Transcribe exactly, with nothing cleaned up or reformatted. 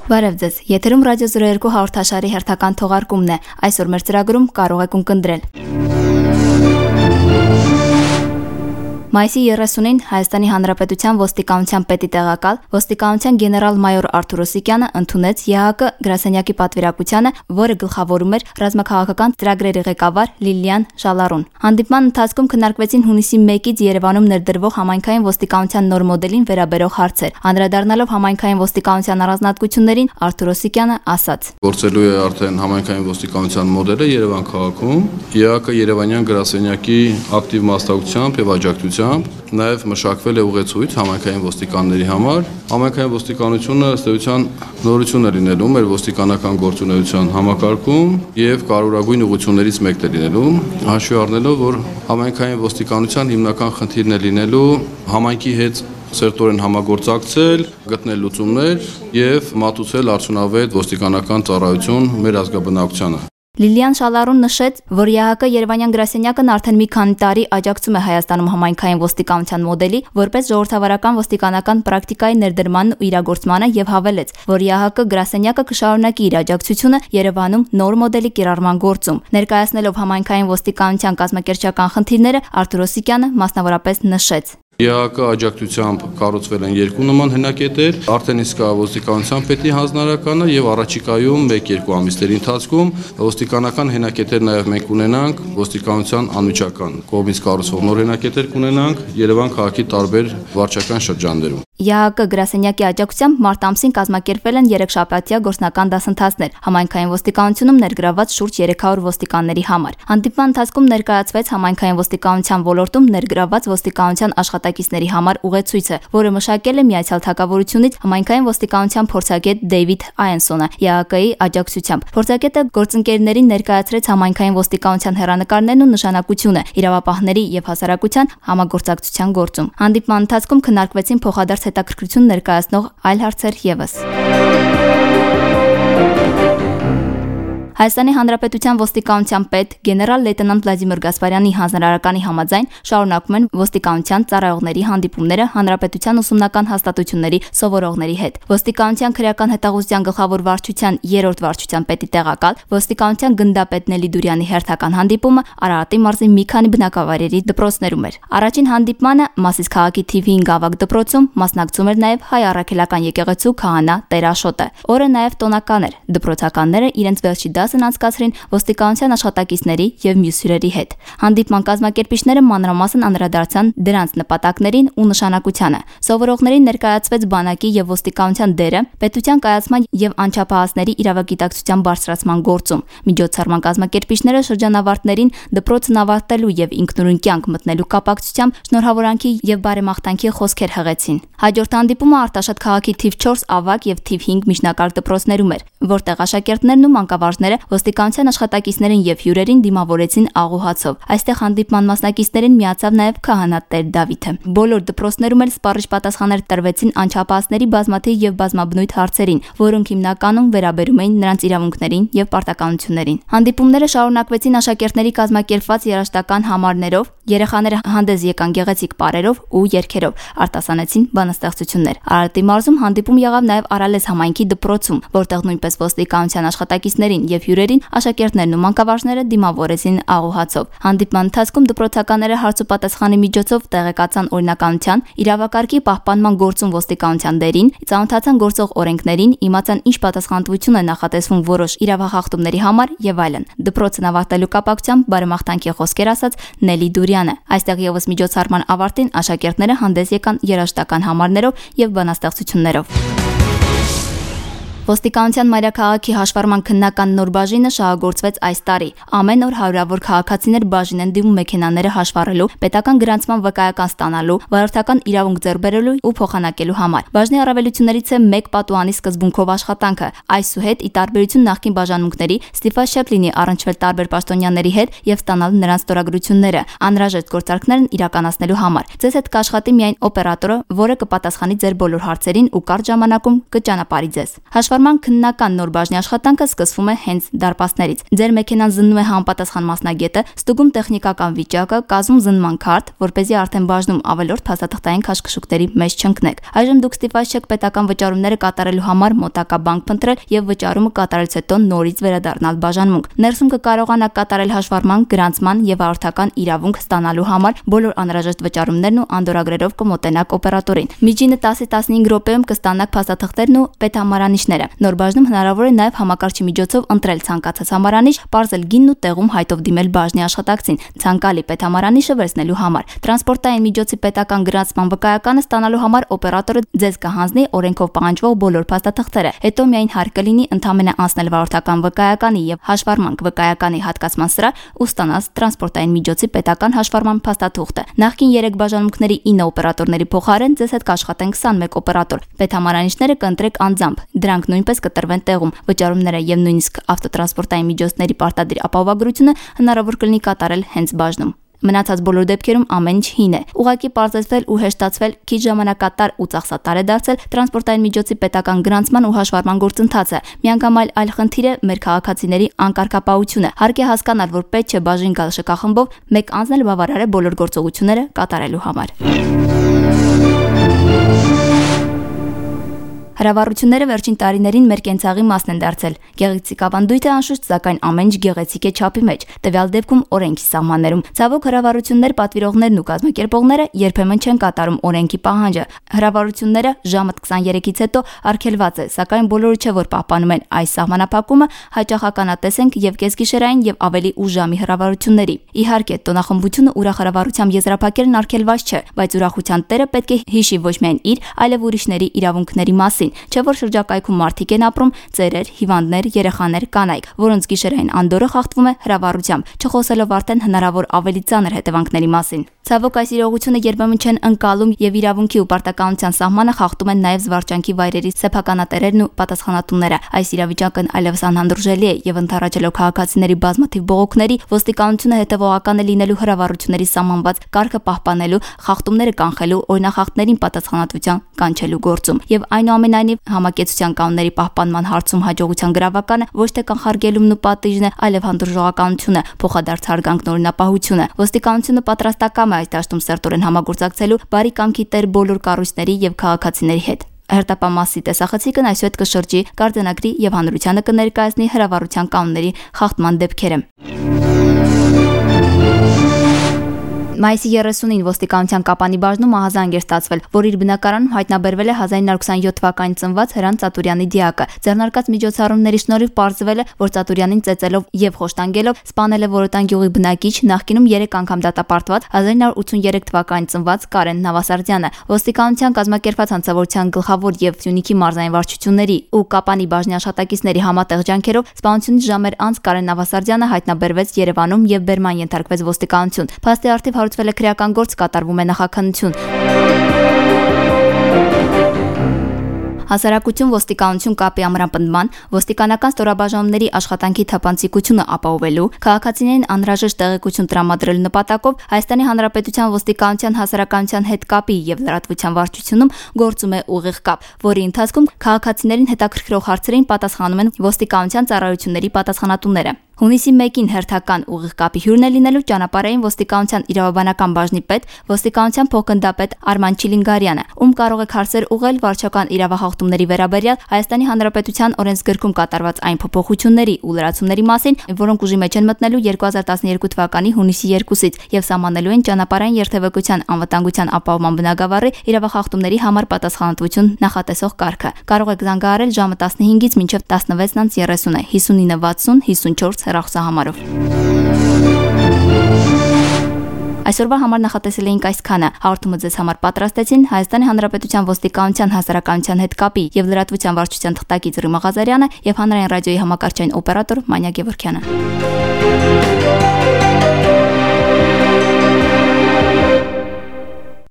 Բարև ձեզ, եթերում ռադիո զրո երկու հաղորդաշարի հերթական թողարկումն է, այսօր մեր ծրագրում կարող եք ունկնդրել։ Մայիսի երեսունին Հայաստանի Հանրապետության ոստիկանության պետի տեղակալ ոստիկանության գեներալ-մայոր Արթուր Օսիկյանը ընդունեց ԵԱՀԿ գրասենյակի պատվիրակությանը, որը գլխավորում էր ռազմաքաղաքական ծրագրերի ղեկավար Լիլիան Շալառուն։ Հանդիպման ընթացքում քննարկվեցին հունիսի մեկից Երևանում ներդրվող համայնքային ոստիկանության նոր մոդելին վերաբերող հարցեր։ Անդրադառնալով համայնքային ոստիկանության առանձնահատկություններին, Արթուր Օսիկյանը ասաց. Գործելու է արդեն համայնքային ոստիկանության մոդելը Երևան քաղաքում, ԵԱՀԿ Երևանյան գրասենյակի ակտիվ մասնակցությամբ եւ աջակցությամբ նաև մշակվել է ուղեցույց համայնքային ոստիկանների համար։ Համայնքային ոստիկանությունը ըստ էության նորություն է լինելու մեր ոստիկանական գործունեության համակարգում եւ կարևորագույն ուղղություններից մեկն է լինելու, հաշվի առնելով, որ համայնքային ոստիկանության հիմնական խնդիրն է լինելու համայնքի հետ սերտորեն համագործակցել, գտնել լուծումներ եւ մատուցել արդյունավետ ոստիկանական ծառայություն մեր ազգաբնակչությանը։ Լիլիան Շալառուն նշեց, որ ԵԱՀԿ Երևանյան գրասենյակն արդեն մի քանի տարի աջակցում է Հայաստանում համայնքային ոստիկանության մոդելի, որպես ժողովրդավարական ոստիկանական պրակտիկայի ներդրմանն ու իրագործմանը եւ հավելեց, որ ԵԱՀԿ գրասենյակը կշարունակի իր աջակցությունը Երևանում նոր մոդելի կիրառման գործում։ Ներկայացնելով համայնքային ոստիկանության կազմակերպչական խնդիրները, Արթուր Օսիկյանը մասնավորապես նշեց. ԵԱՀԿ աջակցությամբ կառուցվել են երկու նման հենակետեր, արդեն իսկ ոստիկանության պետի հանձնարարականը եւ առաջիկայում մեկ-երկու ամիսների ընթացքում ոստիկանական հենակետեր նաեւ մենք ունենանք, ոստիկանության անմիջական կողմից կառուցվող նոր հենակետեր կունենանք Երևան քաղաքի տարբեր վարչական շրջաններում։ ԵԱՀԿ գրասենյակի աջակցությամբ մարտ ամսին կազմակերպվել են երեքշաբաթյա գործնական դասընթացներ համայնքային ոստիկանությունում ներգրաված շուրջ երեք հարյուր ոստիկանների համար։ Հանդիպման ընթացքում ներկայացվեց համայնքային ոստիկանության ոլորտում ներգրաված ոստիկանության աշխատակիցների համար ուղեցույցը, որը մշակել է Միացյալ Թագավորությունից համայնքային ոստիկանության փորձագետ Դեյվիդ Այենսոնը ԵԱՀԿ-ի աջակցությամբ։ Փորձագետը գործընկերներին ներկայացրեց համայնքային ոստիկանության հեռանկարներն ու նշանակությունը իրավապահների եւ հասարակության համագործակցության գործում։ Հանդիպման ընթացքում քննարկվեցին փոխադարձ հետաքրքրություն ներկայացնող այլ հարցեր ևս։ Հայաստանի Հանրապետության ոստիկանության պետ գեներալ-լեյտենանտ Վլադիմիր Գասպարյանի հանձնարարականի համաձայն շարունակվում են ոստիկանության ծառայողների հանդիպումները հանրապետության ուսումնական հաստատությունների սովորողների հետ։ Ոստիկանության քրեական հետախուզության գլխավոր վարչության երրորդ վարչության պետի տեղակալ ոստիկանության գնդապետ Նելի Դուրյանի հերթական հանդիպումը Արարատի մարզի մի քանի բնակավայրերի դպրոցներում էր։ Առաջին հանդիպմանը Մասիս քաղաքի թիվ հինգ ավագ դպրոցում մասնակցում էր նաև հայ առաքելական եկեղեցու քահանա Տեր Աշոտը։ Օրը նաև տոնական էր։ Դպրոցականները իրենց վերջի դասն անցկացրին ոստիկանության աշխատակիցների եւ մյուս հյուրերի հետ։ Հանդիպման կազմակերպիչները մանրամասն անդրադարձան դրանց նպատակներին ու նշանակությանը։ Սովորողներին ներկայացվեց բանակի եւ ոստիկանության դերը պետության կայացման եւ անչափահասների իրավագիտակցության բարձրացման գործում։ Միջոցառման կազմակերպիչները շրջանավարտներին դպրոցն ավարտելու եւ ինքնուրույն կյանք մտնելու կապակցությամբ շնորհավորանքի եւ բարեմաղթանքի խոսքեր հղեցին։ Հաջորդ հանդիպումը Արտաշատ քաղաքի թիվ չորս ավագ եւ թիվ հինգ միջնակարգ դպրոցներում էր, որտեղ աշակերտներն ու մանկավարժները ոստիկանության աշխատակիցներին եւ հյուրերին դիմավորեցին աղոհացով։ Այստեղ հանդիպման մասնակիցներին միացավ նաեւ քահանա Տեր Դավիթը։ Բոլոր դպրոցներում էլ սպառիչ պատասխաններ տրվեցին անչափահասների բազմաթիվ եւ բազմաբնույթ հարցերին, որոնք հիմնականում վերաբերում էին նրանց իրավունքներին եւ պարտականություններին։ Հանդիպումները շարունակվեցին աշակերտների կազմակերպված երաժշտական համարներով, երեխաները հանդես եկան գեղեցիկ պարերով ու երգերով, արտասանեցին բանաստեղծություններ։ Արարատի մարզում հանդիպում եղավ նաեւ Արալես համայնքի դպրոցում, որտեղ նույնպես ոստիկանության աշխատակիցներին եւ հյուրերին աշակերտներն ու մանկավարժները դիմավորեցին աղոհացով։ Հանդիպման ընթացքում դպրոցականները հարց ու պատասխանի միջոցով տեղեկացան օրինականության, իրավակարգի պահպանման գործում ոստիկանության դերին, ծանոթացան գործող օրենքներին, իմացան ինչ պատասխանատվություն է նախատեսվում որոշ իրավախախտումների համար եւ այլն։ Դպրոցն ավարտելու կապակցությամբ բարեմաղթանքի խոսքեր ասաց Նելի Դուրյանը։ Այստեղ եւս միջոցառման ավարտին աշակերտները հանդես եկան երաժշտական համարներով եւ բանաստեղծություններով։ Ոստիկանության մայրաքաղաքի հաշվառման քննական նոր բաժինը շահագործվեց այս տարի։ Ամեն օր հարյուրավոր քաղաքացիներ բաժին են դիմում մեքենաները հաշվառելու, պետական գրանցման վկայական ստանալու, վարորդական իրավունք ձեռք բերելու ու փոխանակելու համար։ Բաժնի առավելություններից է մեկ պատուհանի սկզբունքով աշխատանքը։ Այսուհետ, ի տարբերություն նախկին բաժանմունքների, ստիպված չեք լինի առնչվել տարբեր պաշտոնյաների հետ եւ ստանալ նրանց ստորագրությունները, անհրաժեշտ գործարքներն իրականացնելու համար։ Ձեզ հետ կաշխատի միայն օպերատորը, որը կպատասխանի ձեր բոլոր հարցերին ու կարճ ժամանակում կճանապարհի ձեզ։ Հաշվառման քննական նոր բաժնի աշխատանքը սկսվում է հենց դարպասներից։ Ձեր մեքենան զննում է համապատասխան մասնագետը, ստուգում տեխնիկական վիճակը, կազմում զննման քարտ, որպեսզի արդեն բաժնում ավելորդ փաստաթղթային քաշքշուկների մեջ չընկնեք։ Այժմ դուք ստիպված չեք պետական վճարումները կատարելու համար մոտակա բանկ փնտրել եւ վճարումը կատարելուց հետո նորից վերադառնալ բաժանմունք։ Ներսում կկարողանաք կատարել հաշվառման, գրանցման եւ արդական իրավունք ստանալու համար բոլոր անհրաժեշտ վճարումներն ու անդորագրերով կմոտենաք օպերատորին։ Միջինը տասից տասնհինգ րոպեում կստանաք փաստաթղթերն ու պետհամարանիշները։ Նոր բաժնում հնարավոր է նաեւ համակարգչի միջոցով ընտրել ցանկացած համարանիշ, պարզել գինն ու տեղում հայտով դիմել բաժնի աշխատակցին ցանկալի պետհամարանիշը վերցնելու համար։ Տրանսպորտային միջոցի պետական գրանցման վկայականը ստանալու համար օպերատորը ձեզ կհանձնի օրենքով պահանջվող բոլոր փաստաթղթերը։ Հետո միայն հարկ կլինի ընդամենը անցնել վարորդական վկայականի եւ հաշվառման վկայականի հատկացման սրահ ու ստանալ տրանսպորտային միջոցի պետական հաշվառման փաստաթուղթը։ Նախկին երեք բաժանմունքների ինը օպերատորների փոխարեն ձեզ հետ կաշխատեն քսանմեկ օպերատոր։ Պետհամարանիշները կընտրեք անձամբ, դրանք նույնպես կտրվեն տեղում։ Վճարումները եւ նույնիսկ ավտոտրանսպորտային միջոցների պարտադիր ապահովագրությունը հնարավոր կլինի կատարել հենց բաժնում։ Մնացած բոլոր դեպքերում ամեն ինչ հին է։ Ուղղակի պարզեցվել ու հեշտացվել, քիչ ժամանակատար ու ծախսատար է դարձել տրանսպորտային միջոցի պետական գրանցման ու հաշվառման գործընթացը։ Միանգամայն այլ խնդիր է մեր քաղաքացիների անկարգապահությունը։ Հարկ է հասկանալ, որ պետք չէ բաժին գալ շքախմբով, մեկ անձն էլ բավարար է բոլոր գործողությունները կատարելու համար։ Հրավառությունները վերջին տարիներին մեր կենցաղի մասն են դարձել։ Գեղեցիկ ավանդույթը անշուշտ, սակայն ամեն ինչ գեղեցիկ է չափի մեջ, տվյալ դեպքում օրենքի սահմաններում։ Ցավոք հրավառություններ պատվիրողներն ու կազմակերպողները երբեմն չեն կատարում օրենքի պահանջը։ Հրավառությունները ժամը քսաներեքից հետո արգելված է, սակայն բոլորը չէ որ պահպանում են այս սահմանափակումը, հաճախ ականատես ենք եւ կեսգիշերային եւ ավելի ուժամի հրավառությունների։ Իհարկե, տոնախմբությունը ուրախ հրավառությամբ եզրափակելն արգելված չէ, բայց ուրախության տերը պետք է հիշի ոչ միայն իր, այլև ուրիշների իրավունքների մասին։ Չէ որ շրջակայքում մարդիկ են ապրում, ծերեր, հիվանդներ, երեխաներ, կանայք, որոնց գիշերային անդորը խախտվում է հրավառությամբ, չխոսելով արդեն հնարավոր ավելի ծանր հետևանքների մասին։ Ցավոք այս իրողությունը երբեմն չեն ընկալում եւ իրավունքի ու պարտականության սահմանը խախտում են նաեւ զվարճանքի վայրերի սեփականատերերն ու պատասխանատուները։ Այս իրավիճակն այլևս անհանդուրժելի է եւ ընդառաջելով քաղաքացիների բազմաթիվ բողոքների, ոստիկանությունը հետեւողական է լինելու հրավառությունների սահմանված կարգը պահպանելու, խախտումները կանխելու, օրինախախտներին պատասխանատվության կանչելու գործում։ Եվ այնուամենայնիվ համակեցության կանոնների պահպանման հարցում հաջողության գրավականը ոչ թե կանխարգելումն ու պատիժն է, այլև հանդուրժողականությունը, փոխադարձ հարգանքն օրինապահությունը։ Ոստիկանությունը պատրաստակամ է այս դաշտում սերտորեն համագործակցելու բարի կամքի տեր բոլոր կառույցների եւ քաղաքացիների հետ։ Հերթապամասի տեսախցիկն այսուհետ կշրջի, կարձանագրի եւ հանրությանը կներկայացնի հրավառության կանոնների խախտման դեպքերը։ Մայիսի երեսունին ոստիկանության Կապանի բաժնում ահազանգ էր ստացվել, որ իր բնակարանում հայտնաբերվել է հազար իննսուն յոթ թվականին ծնված Հրանտ Ծատուրյանի դիակը։ Ձեռնարկած միջոցառումների շնորհիվ պարզվել է, որ Ծատուրյանին ծեծելով եւ խոշտանգելով սպանել է Որոտան գյուղի բնակիչ, նախկինում երեք անգամ դատապարտված հազար իննսուն ութսուներեք թվականին ծնված Կարեն Նավասարդյանը։ Ոստիկանության կազմակերպած հանցավորության գլխավոր եւ Սյունիքի մարզային վարչությունների ու Կապանի բաժնի աշխատակիցների համատեղ ջանքերով սպանությունից ժամեր անց Կարեն Նավասարդյանը հայտնաբերվեց Երևանում եւ բերման ենթարկվեց ոստիկանություն։ Փաստի առթիվ հարուցվել է քրեական գործ, կատարվում է նախաքննություն։ Հասարակություն ոստիկանություն կապի ամրապնդման, ոստիկանական ստորաբաժանումների աշխատանքի թափանցիկությունը ապահովելու, քաղաքացիներին անհրաժեշտ տեղեկություն տրամադրելու նպատակով Հայաստանի Հանրապետության ոստիկանության հասարակայնության հետ կապի եւ լրատվության վարչությունում գործում է ուղիղ կապ, որի ընթացքում քաղաքացիներին հետաքրքրող հարցերին պատասխանում են ոստիկանության ծառայությունների պատասխանատուները։ Հունիսի մեկին հերթական ուղիղ կապի հյուրն է լինելու ճանապարհային ոստիկանության իրավաբանական բաժնի պետ, ոստիկանության փոխգնդապետ Արման Չիլինգարյանը, ում կարող եք հարցեր ուղղել վարչական իրավախախտումների վերաբերյալ Հայաստանի Հանրապետության օրենսգրքում կատարված այն փոփոխությունների ու լրացումների մասին, որոնք ուժի մեջ են մտնելու երկու հազար տասներկու թվականի հունիսի երկուսից եւ սահմանելու են ճանապարհային երթևեկության անվտանգության ապահովման բնագավառի իրավախախտումների համար պատասխանատվություն նախատեսող կարգը։ Կարող եք զանգահարել ժամը տասնհինգից մինչև տասնվեց երեսուն, հիսունինը վաթսուն հիսունչորս հեռախոսահամարով։ Այսօրվա համար նախատեսել էինք այսքանը։ Հաղորդումը ձեզ համար պատրաստեցին Հայաստանի Հանրապետության ոստիկանության հասարակայնության հետ կապի եւ լրատվության վարչության թղթակից Ռիմա Ղազարյանը եւ հանրային ռադիոյի համակարգչային օպերատոր Մանյա Գևորգյանը։